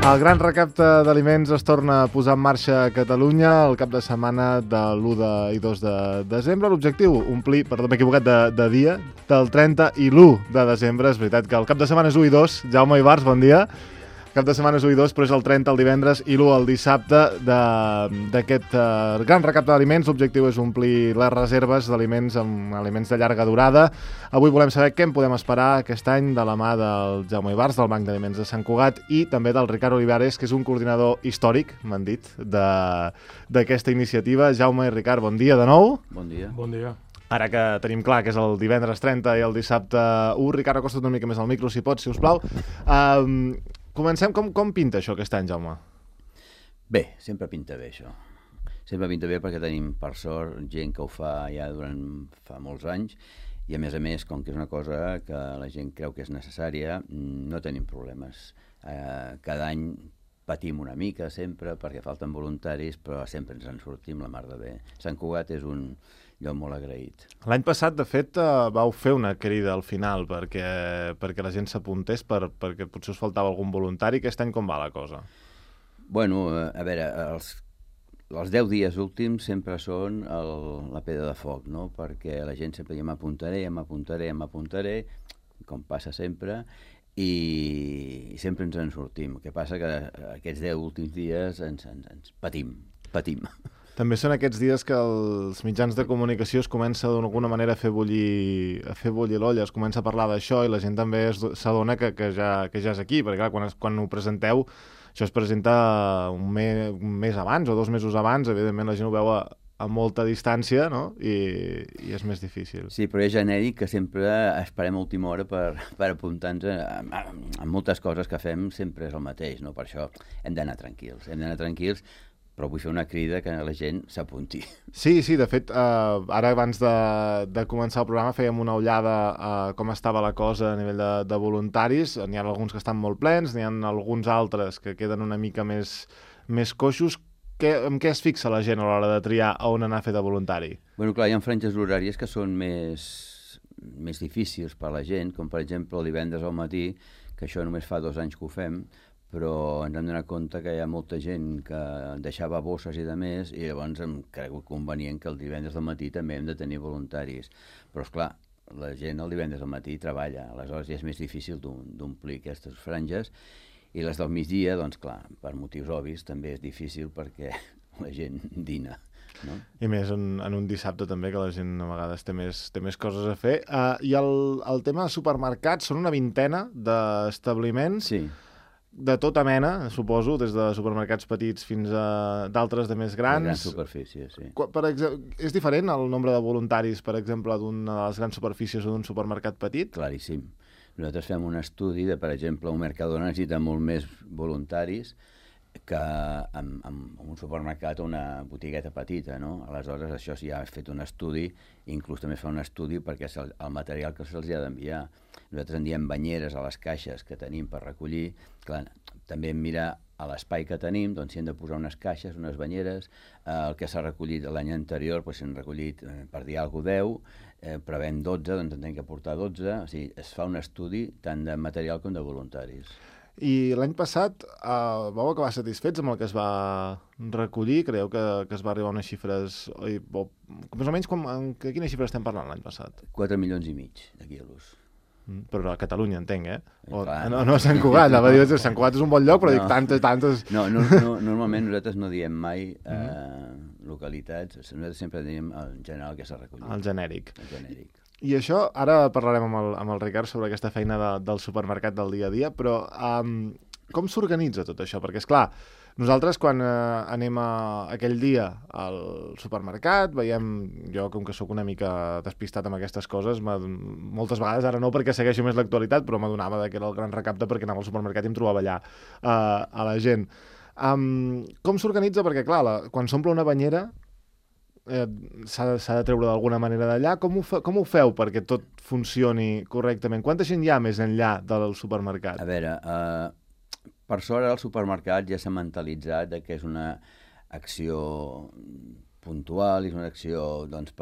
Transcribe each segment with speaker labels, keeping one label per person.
Speaker 1: El gran recapte d'aliments es torna a posar en marxa a Catalunya el cap de setmana de l'1 i 2 de desembre. L'objectiu, omplir, perdó, m'he equivocat de dia, del 30 i l'1 de desembre. És veritat que el cap de setmana és 1 i 2. Jaume Ibarz, bon dia. Cap de setmana és 1 i 2, però és el 30 el divendres i l'1 el dissabte d'aquest gran recapte d'aliments. L'objectiu és omplir les reserves d'aliments amb aliments de llarga durada. Avui volem saber què en podem esperar aquest any de la mà del Jaume Ibarz, del Banc d'Aliments de Sant Cugat, i també del Ricard Olivares, que és un coordinador històric, m'han dit, d'aquesta iniciativa. Jaume i Ricard, bon dia de nou.
Speaker 2: Bon dia.
Speaker 3: Bon dia.
Speaker 1: Ara que tenim clar que és el divendres 30 i el dissabte 1, Ricard, acosta't una mica més al micro, si pots, si us plau. Comencem. Com pinta això aquest any, Jaume?
Speaker 2: Bé, sempre pinta bé això. Sempre pinta bé perquè tenim, per sort, gent que ho fa ja fa molts anys, i a més, com que és una cosa que la gent creu que és necessària, no tenim problemes. Cada any patim una mica sempre perquè falten voluntaris, però sempre ens en sortim la mar de bé. Sant Cugat és un lloc molt agraït.
Speaker 1: L'any passat, de fet, vau fer una crida al final perquè la gent s'apuntés, perquè potser us faltava algun voluntari. Aquest any com va la cosa?
Speaker 2: Bueno, a veure, els 10 dies últims sempre són la pedra de foc, no? Perquè la gent sempre diu m'apuntaré, com passa sempre, i sempre ens en sortim. El que passa que aquests 10 últims dies ens patim.
Speaker 1: També són aquests dies que els mitjans de comunicació es comença d'alguna manera a fer bullir l'olla, es comença a parlar d'això i la gent també s'adona que ja és aquí, perquè clar, quan ho presenteu, això es presenta un mes abans o 2 mesos abans, evidentment la gent ho veu a molta distància, no? I és més difícil.
Speaker 2: Sí, però és genèric que sempre esperem a última hora per apuntar-nos a moltes coses que fem, sempre és el mateix, no? Per això hem d'anar tranquils, però vull fer una crida que la gent s'apunti.
Speaker 1: Sí, de fet, ara abans de començar el programa fèiem una ullada a com estava la cosa a nivell de voluntaris. N'hi ha alguns que estan molt plens, n'hi ha alguns altres que queden una mica més coixos. En què es fixa la gent a l'hora de triar on anar a fer de voluntari?
Speaker 2: Bueno, clar, hi ha franges horàries que són més difícils per a la gent, com per exemple el divendres al matí, que això només fa 2 anys que ho fem, però ens hem donat compte que hi ha molta gent que deixava bosses i de més, i llavors hem cregut convenient que el divendres al matí també hem de tenir voluntaris. Però, esclar, la gent el divendres al matí treballa, aleshores ja és més difícil d'omplir aquestes franges, i les del migdia, doncs clar, per motius obvis també és difícil perquè la gent dina. No?
Speaker 1: I més en un dissabte també, que la gent a vegades té més coses a fer. I el tema de supermercats, són una vintena d'establiments,
Speaker 2: sí,
Speaker 1: de tota mena, suposo, des de supermercats petits fins a d'altres de més grans.
Speaker 2: De gran superfície, sí.
Speaker 1: Per exemple, és diferent el nombre de voluntaris, per exemple, d'una de les grans superfícies o d'un supermercat petit?
Speaker 2: Claríssim. Nosaltres fem un estudi per exemple, un Mercadona necessita molt més voluntaris que en un supermercat o una botigueta petita, no? Aleshores, això sí, ha fet un estudi, inclús també fa un estudi perquè és el material que se'ls ha d'enviar. Nosaltres en diem banyeres a les caixes que tenim per recollir. Clar, també mirar a l'espai que tenim, doncs si hem de posar unes caixes, unes banyeres, el que s'ha recollit l'any anterior, doncs s'han recollit, per dir alguna cosa, 10, prevem 12, doncs en tenim que portar 12, o sigui, es fa un estudi tant de material com de voluntaris.
Speaker 1: I l'any passat vau acabar satisfets amb el que es va recollir? Creieu que es va arribar a unes xifres... Més o menys, de quines xifres estem parlant l'any passat?
Speaker 2: 4,5 milions de quilos.
Speaker 1: Però a Catalunya, entenc, eh?
Speaker 2: No,
Speaker 1: a Sant Cugat. Sant Cugat és un bon lloc, però dic tantes...
Speaker 2: No, normalment nosaltres no diem mai localitats, nosaltres sempre diem en general que s'ha recollit.
Speaker 1: El genèric.
Speaker 2: El genèric.
Speaker 1: I això, ara parlarem amb el Ricard sobre aquesta feina del supermercat del dia a dia, però com s'organitza tot això? Perquè, esclar, nosaltres quan anem aquell dia al supermercat, veiem, jo com que sóc una mica despistat amb aquestes coses, moltes vegades, ara no perquè segueixo més l'actualitat, però m'adonava que era el gran recapte perquè anava al supermercat i em trobava allà a la gent. Com s'organitza? Perquè, clar, quan s'omple una banyera s'ha de treure d'alguna manera d'allà. Com ho feu perquè tot funcioni correctament? Quanta gent hi ha més enllà del supermercat?
Speaker 2: A veure, per sort el supermercat ja s'ha mentalitzat que és una acció puntual, és una acció doncs,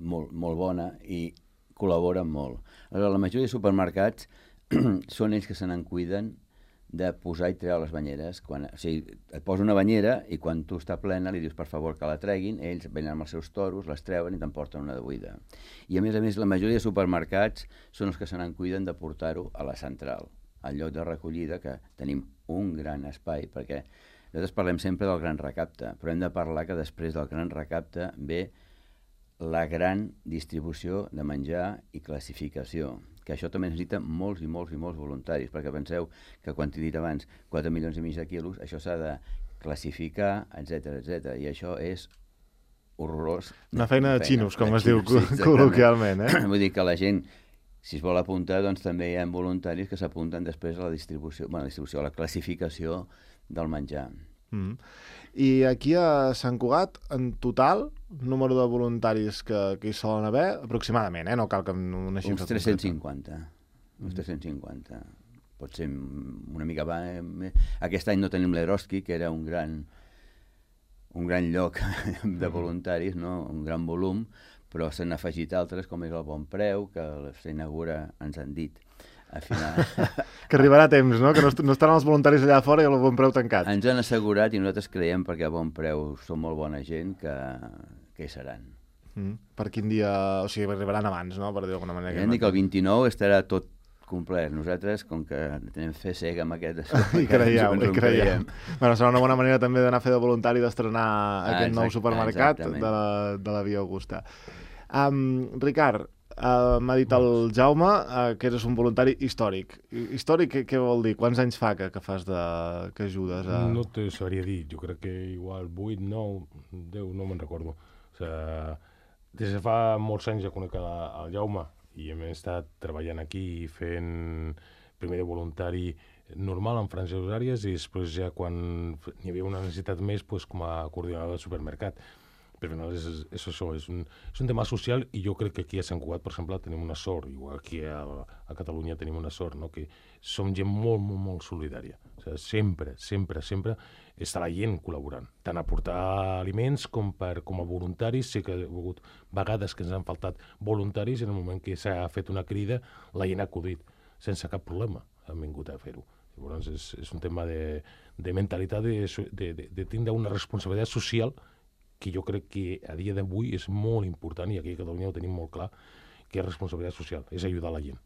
Speaker 2: molt bona i col·laboren molt. Aleshores, la majoria de supermercats són ells que se n'en cuiden de posar i treure les banyeres. O sigui, et posa una banyera i quan tu està plena li dius per favor que la treguin, ells venen amb els seus toros, les treuen i t'emporten una de buida. I a més, la majoria de supermercats són els que se n'en cuiden de portar-ho a la central, al lloc de recollida, que tenim un gran espai, perquè nosaltres parlem sempre del gran recapte, però hem de parlar que després del gran recapte ve la gran distribució de menjar i classificació, que això també necessita molts i molts voluntaris, perquè penseu que quan t'he dit abans 4,5 milions de quilos, això s'ha de classificar, etc. I això és horrorós.
Speaker 1: Una feina de xinos, com es diu col·loquialment.
Speaker 2: Vull dir que la gent, si es vol apuntar, doncs també hi ha voluntaris que s'apunten després a la distribució, a la classificació del menjar.
Speaker 1: I aquí a Sant Cugat, en total, número de voluntaris que hi solen haver, aproximadament, no cal que una xifra...
Speaker 2: Uns 350. Uns 350. Pot ser una mica... Aquest any no tenim l'Eroski, que era un gran lloc de voluntaris, no? Un gran volum, però s'han afegit altres, com és el Bon Preu, que s'inaugura, ens han dit, al final...
Speaker 1: Que arribarà a temps, no? Que no estaran els voluntaris allà fora i el Bon Preu tancat.
Speaker 2: Ens han assegurat, i nosaltres creiem, perquè a Bon Preu són molt bona gent, que hi seran.
Speaker 1: Per quin dia... O sigui, arribaran abans, no? Per dir d'alguna manera.
Speaker 2: Ja hem dit que el 29 estarà tot complet. Nosaltres, com que tenim fe cega amb aquest...
Speaker 1: I creieu. Bueno, serà una bona manera també d'anar a fer de voluntari, d'estrenar aquest nou supermercat de la Via Augusta. Ricard, m'ha dit el Jaume que eres un voluntari històric. Històric què vol dir? Quants anys fa que fas que ajudes a...
Speaker 3: No te sabria dir, jo crec que igual 8, 9, 10, no me'n recordo. O sigui, des de fa molts anys ja conec el Jaume i hem estat treballant aquí fent primer de voluntari normal en franges horàries i després ja quan hi havia una necessitat més com a coordinador de supermercat. Però al final és això, és un tema social i jo crec que aquí a Sant Cugat, per exemple, tenim una sort, igual aquí a Catalunya tenim una sort, no? Que som gent molt, molt, molt solidària. O sigui, sempre està la gent col·laborant, tant a portar aliments com a voluntaris. Sé que hi ha hagut vegades que ens han faltat voluntaris i en el moment que s'ha fet una crida la gent ha acudit, sense cap problema han vingut a fer-ho. Llavors és un tema de mentalitat, de tindre una responsabilitat social que jo crec que a dia d'avui és molt important, i aquí a Catalunya ho tenim molt clar, que és responsabilitat social, és ajudar la gent.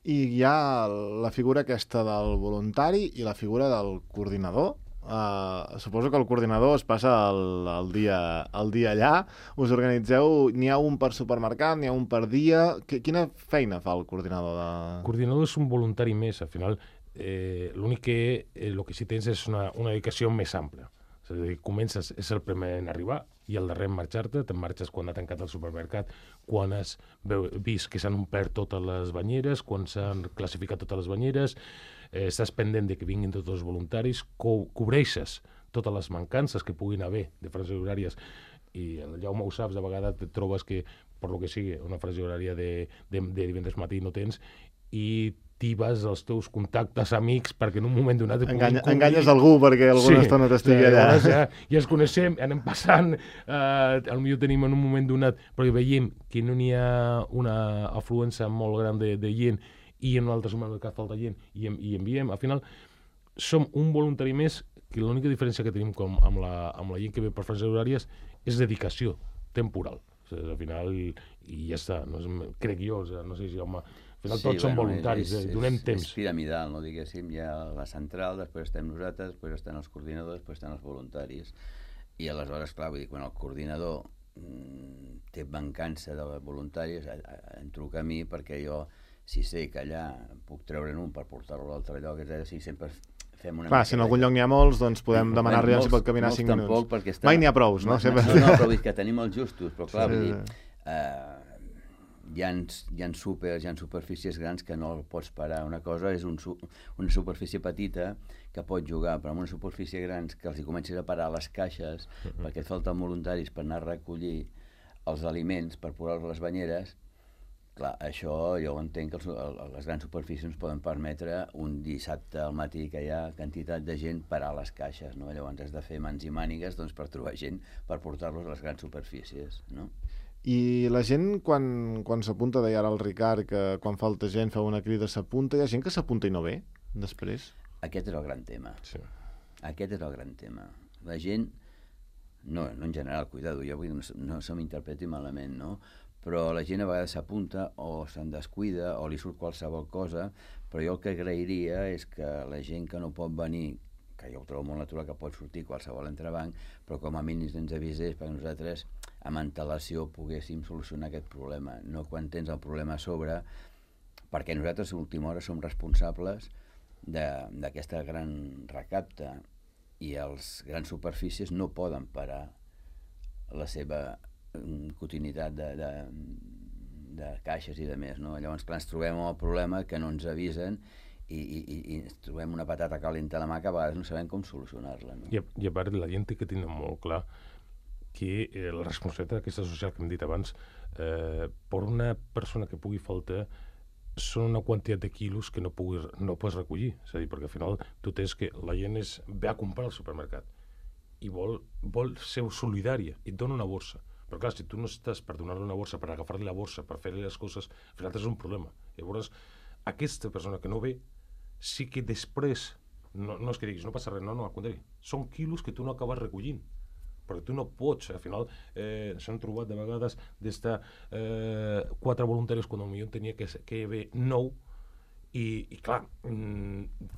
Speaker 1: I hi ha la figura aquesta del voluntari i la figura del coordinador. Suposo que el coordinador es passa el dia allà. Us organitzeu, n'hi ha un per supermercat, n'hi ha un per dia. Quina feina fa el coordinador?
Speaker 3: El coordinador és un voluntari més, al final. L'únic que el que sí tens és una dedicació més àmplia. És a dir, comences, és el primer en arribar i el darrer en marxar-te, te'n marxes quan ha tancat el supermercat, quan has vist que s'han omplert totes les banyeres, quan s'han classificat totes les banyeres, estàs pendent de que vinguin tots els voluntaris, cobreixes totes les mancances que puguin haver de franges horàries, i el Jaume ho saps, de vegades et trobes que, per lo que sigui, una franja horària de divendres matí no tens, i t'ibes els teus contactes amics perquè en un moment donat...
Speaker 1: Enganyes algú perquè alguna estona t'estigui allà.
Speaker 3: Ja ens coneixem, anem passant, potser tenim en un moment donat, però veiem que no n'hi ha una afluència molt gran de gent i en un altre supermercat falta gent i enviem. Al final, som un voluntari més que l'única diferència que tenim amb la gent que ve per franges horàries és dedicació temporal. O sigui, al final, i ja està, crec jo, no sé si home... Al final tots són voluntaris, donem temps.
Speaker 2: És piramidal, no diguéssim, hi ha la central, després estem nosaltres, després estan els coordinadors, després estan els voluntaris. I aleshores, clar, vull dir, quan el coordinador té mancança de voluntaris, em truca a mi perquè jo, si sé que allà puc treure'n un per portar-lo a l'altre lloc, si sempre fem una...
Speaker 1: Clar, si en algun lloc n'hi ha molts, doncs podem demanar-li si pot caminar 5 minuts. Mai n'hi ha prous, no?
Speaker 2: No, però vull dir que tenim els justos, però clar, vull dir... Hi ha súpers, hi ha superfícies grans que no el pots parar. Una cosa és una superfície petita que pot jugar, però en una superfície grans que els hi comencis a parar les caixes perquè et falten voluntaris per anar a recollir els aliments per posar-los a les banyeres, Clar, això jo entenc que les grans superfícies ens poden permetre un dissabte al matí que hi ha quantitat de gent parar les caixes, no? Llavors has de fer mans i mànigues doncs, per trobar gent per portar-los a les grans superfícies, no?
Speaker 1: I la gent, quan s'apunta, deia ara el Ricard, que quan falta gent fa una crida, s'apunta, hi ha gent que s'apunta i no ve, després?
Speaker 2: Aquest és el gran tema.
Speaker 3: Sí.
Speaker 2: Aquest és el gran tema. La gent, no en general, cuidado, jo vull que no se m'interpreti malament, no? Però la gent a vegades s'apunta o se'n descuida o li surt qualsevol cosa, però jo el que agrairia és que la gent que no pot venir, que jo ho trobo molt natural que pot sortir qualsevol entrebanc, però com a mínim ens avisés perquè nosaltres amb antelació poguéssim solucionar aquest problema, no quan tens el problema a sobre, perquè nosaltres a l'última hora som responsables d'aquesta gran recapta i els grans superfícies no poden parar la seva quotidianitat de caixes i de més, no? Llavors, clar, ens trobem amb el problema que no ens avisen i ens trobem una patata calenta a la mà que a vegades no sabem com solucionar-la, no?
Speaker 3: I a part, la gent té que tenir molt clar que la responsabilitat aquesta social que hem dit abans, per una persona que pugui faltar, són una quantitat de quilos que no pots recollir. És a dir, perquè al final tu tens que la gent ve a comprar al supermercat i vol ser solidària i et dona una borsa. Però clar, si tu no estàs per donar-li una borsa, per agafar-li la borsa, per fer-li les coses, al final és un problema. Llavors, aquesta persona que no ve, sí que després, no és que diguis, no passa res, no, al contrari, són quilos que tu no acabes recollint, perquè tu no pots, al final s'han trobat de vegades d'estar 4 voluntaris quan potser tenia que haver 9 i clar,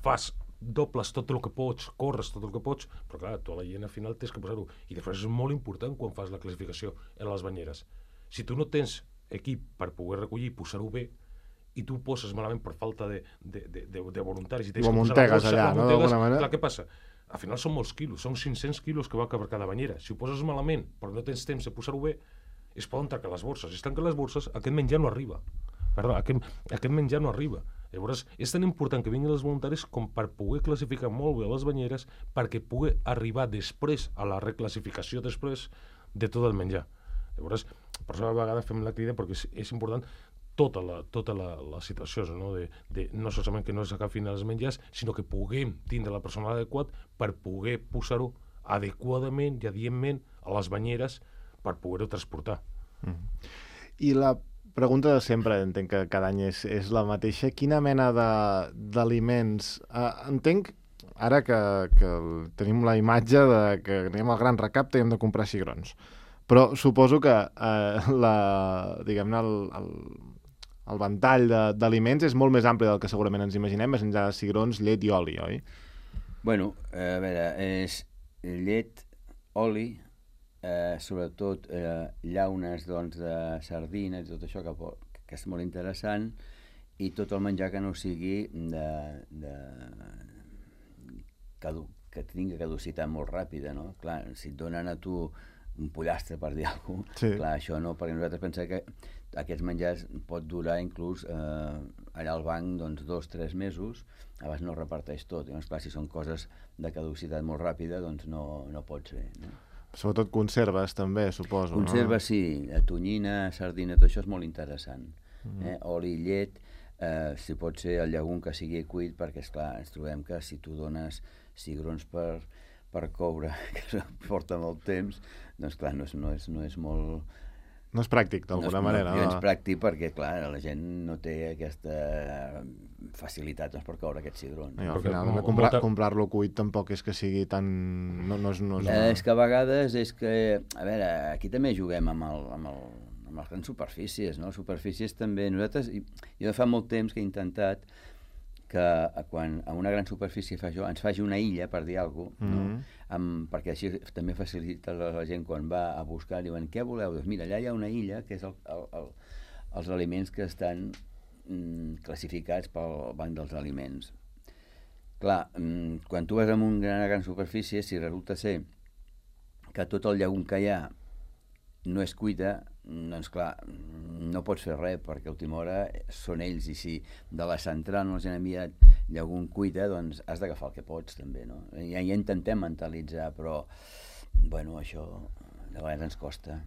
Speaker 3: fas dobles tot el que pots, corres tot el que pots, però clar, tu a la gent al final tens que posar-ho. I després és molt important quan fas la classificació en les banyeres. Si tu no tens equip per poder recollir i posar-ho bé, i tu ho poses malament per falta de voluntaris i tens que posar la borsa,
Speaker 1: allà, no? D'alguna manera.
Speaker 3: Clar, què passa? Al final són molts quilos, són 500 quilos que va per cada banyera. Si ho poses malament, però no tens temps de posar-ho bé, es poden tancar les borses. Si es tanquen les borses, aquest menjar no arriba. Perdó, aquest menjar no arriba. Llavors, és tan important que vinguin els voluntaris com per poder classificar molt bé les banyeres perquè pugui arribar després a la reclassificació després de tot el menjar. Llavors, per això a vegades fem la crida perquè és important tota la situació, no? No solament que no s'agafin els menjars, sinó que puguem tindre el personal adequat per poder posar-ho adequadament i adientment a les banyeres per poder-ho transportar.
Speaker 1: I la pregunta de sempre, entenc que cada any és la mateixa. Quina mena d'aliments? Entenc, ara que tenim la imatge de que anem al gran recapte i hem de comprar cigrons. Però suposo que diguem-ne, el ventall d'aliments és molt més ampli del que segurament ens imaginem, més enllà de cigrons, llet i oli, oi?
Speaker 2: Bueno, a veure, és llet, oli, sobretot llaunes doncs, de sardines i tot això que és molt interessant, i tot el menjar que no sigui que tingui caducitat molt ràpida, no? Clar, si et donen a tu un pollastre, per dir alguna cosa, sí. Clar, això no, perquè nosaltres pensem que aquests menjars pot durar inclús allà al banc doncs, 2-3 mesos, abans no reparteix tot. Llavors, clar, si són coses de caducitat molt ràpida, doncs no pot ser, no?
Speaker 1: Sobretot conserves, també, suposo.
Speaker 2: Conserves, no? Sí. Tonyina, sardina, tot això és molt interessant. Oli, llet, si pot ser el llegum que sigui cuit, perquè, esclar, ens trobem que si tu dones cigrons per coure, que porta molt temps, doncs, clar, no és molt...
Speaker 1: No és pràctic, d'alguna manera.
Speaker 2: No és pràctic perquè, clar, la gent no té aquesta facilitat per coure aquest cigron.
Speaker 1: Al final, comprar-lo cuit tampoc és que sigui tan...
Speaker 2: És que a vegades és que... A veure, aquí també juguem amb les grans superfícies, no? Les superfícies també... Nosaltres, jo fa molt temps que he intentat que quan a una gran superfície ens faci una illa, per dir alguna cosa, no? Perquè així també facilita la gent quan va a buscar, diuen, què voleu? Doncs mira, allà hi ha una illa, que és els aliments que estan classificats pel Banc dels Aliments. Clar, quan tu vas a una gran superfície, si resulta ser que tot el llegum que hi ha no és cuita, doncs clar, no pots fer res, perquè a última hora són ells, i si de la central no els han enviat llegum cuita, doncs has d'agafar el que pots, també, no? Ja intentem mentalitzar, però, bueno, això de vegades ens costa.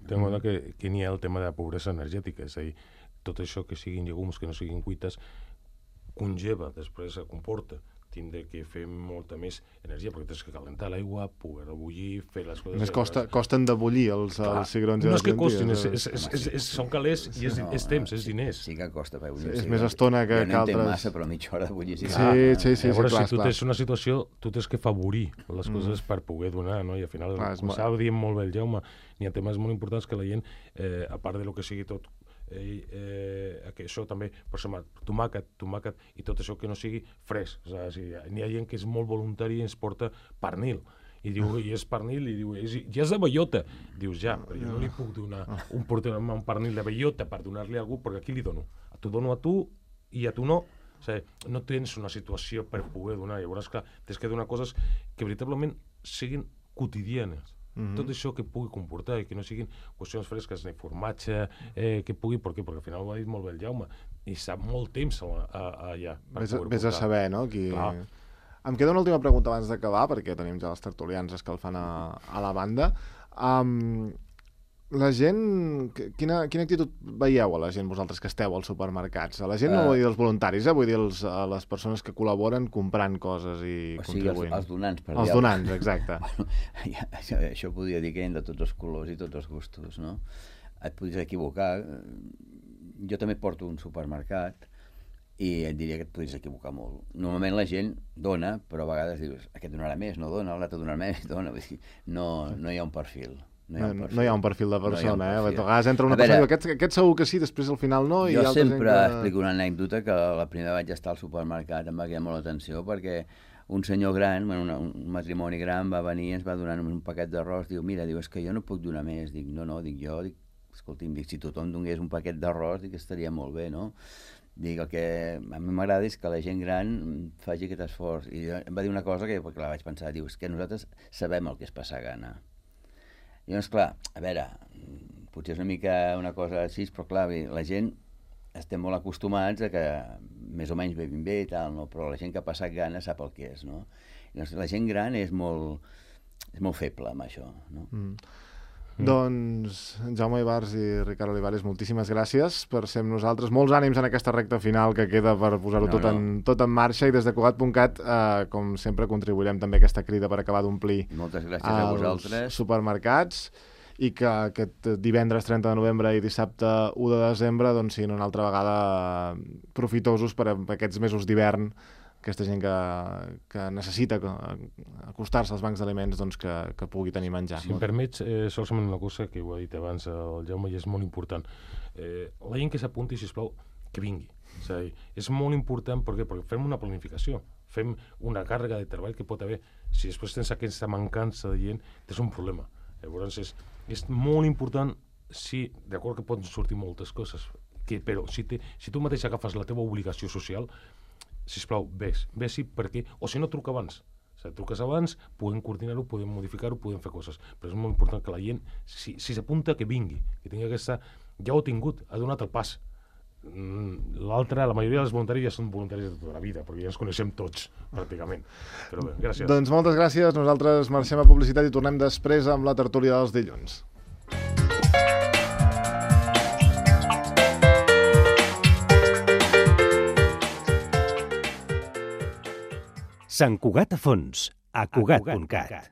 Speaker 3: Tengo que n'hi ha el tema de la pobresa energètica, és a dir, tot això que siguin llegums, que no siguin cuites, congeva, després comporta tindre que fer molta més energia, perquè tens que calentar l'aigua, poder-la bullir, fer les coses...
Speaker 1: Més costen de bullir els cigrons i
Speaker 3: no
Speaker 1: les
Speaker 3: és que
Speaker 1: llenties.
Speaker 3: costin, són calés i és temps, és diners.
Speaker 2: Sí que costa per bullir.
Speaker 1: És més estona que altres.
Speaker 2: Jo no entenc massa, però mitja hora de bullir.
Speaker 1: Sí,
Speaker 3: Llavors,
Speaker 1: clar,
Speaker 3: si tu tens una situació, tu tens que favorir les coses per poder donar, no? I al final, com estava dient molt bé el Jaume, n'hi ha temes molt importants que la gent, a part de lo que sigui tot, que això també, per exemple, tomàquet i tot això que no sigui fresc. O sigui, n'hi ha gent que és molt voluntari i ens porta pernil. I diu, i és pernil, i diu, ja és de bellota. Dius, ja, però jo no li puc donar un pernil de bellota per donar-li a algú, perquè aquí li dono. T'ho dono a tu i a tu no. O sigui, no tens una situació per poder donar. Llavors, clar, tens que donar coses que veritablement siguin quotidianes. Tot això que pugui comportar i que no siguin qüestions fresques ni formatge, que pugui, perquè al final ho ha dit molt bé el Jaume, i sap molt temps allà.
Speaker 1: Vés a saber, no? Em queda una última pregunta abans d'acabar, perquè tenim ja els tertulians escalfant a la banda. La gent, quina actitud veieu a la gent, vosaltres que esteu als supermercats? A la gent no vull dir els voluntaris, vull dir a les persones que col·laboren comprant coses i contribuint.
Speaker 2: Els donants, per
Speaker 1: dir. Els donants, exacte.
Speaker 2: Això podria dir que hi ha de tots els colors i tots els gustos, no? Et podries equivocar. Jo també porto un supermercat i et diria que et podries equivocar molt. Normalment la gent dona, però a vegades dius, aquest donarà més, no dona, l'altre donarà més, dona. No hi ha un perfil.
Speaker 1: No hi ha un perfil de persona, A vegades entra una persona i diu, aquest segur que sí, després al final no.
Speaker 2: Jo sempre explico una anècdota que la primera vaig estar al supermercat, em va cridar molt l'atenció, perquè un senyor gran, un matrimoni gran, va venir i ens va donar un paquet d'arròs, diu, mira, és que jo no puc donar més. Dic, escolti'm, si tothom donés un paquet d'arròs, estaria molt bé, no? Dic, el que a mi m'agrada és que la gent gran faci aquest esforç. I em va dir una cosa que la vaig pensar, diu, és que nosaltres sabem el que és passar gana. I llavors, clar, a veure, potser és una mica una cosa així, però clar, la gent estem molt acostumats a que més o menys bevin bé i tal, no? Però la gent que ha passat gana sap el que és, no? I llavors, la gent gran és molt feble amb això, no?
Speaker 1: Doncs, Jaume Ibars i Ricard Olivares, moltíssimes gràcies per ser amb nosaltres. Molts ànims en aquesta recta final que queda per posar-ho tot en marxa, i des de Cugat.cat, com sempre, contribuirem també a aquesta crida per acabar d'omplir
Speaker 2: moltes gràcies a vosaltres.
Speaker 1: Els supermercats, i que aquest divendres 30 de novembre i dissabte 1 de desembre doncs, siguin una altra vegada profitosos per aquests mesos d'hivern, aquesta gent que necessita acostar-se als bancs d'aliments, doncs, que pugui tenir menjar.
Speaker 3: Si em permets, solament una cosa que ho ha dit abans el Jaume i és molt important. La gent que s'apunti, sisplau, que vingui. És molt important perquè fem una planificació, fem una càrrega de treball que pot haver. Si després tens aquesta mancança de gent, tens un problema. Llavors és molt important, sí, d'acord que poden sortir moltes coses, però si tu mateix agafes la teva obligació social, sisplau, ves-hi perquè... O si no, truca abans. Truques abans, podem coordinar-ho, podem modificar-ho, podem fer coses. Però és molt important que la gent, si s'apunta, que vingui, que tingui aquesta... Ja ho ha tingut, ha donat el pas. L'altre, la majoria dels voluntaris ja són voluntaris de tota la vida, perquè ja ens coneixem tots, pràcticament. Però bé, gràcies.
Speaker 1: Doncs moltes gràcies. Nosaltres marxem a publicitat i tornem després amb la tertúlia dels dilluns.
Speaker 4: Sant Cugat a fons, a Cugat.cat.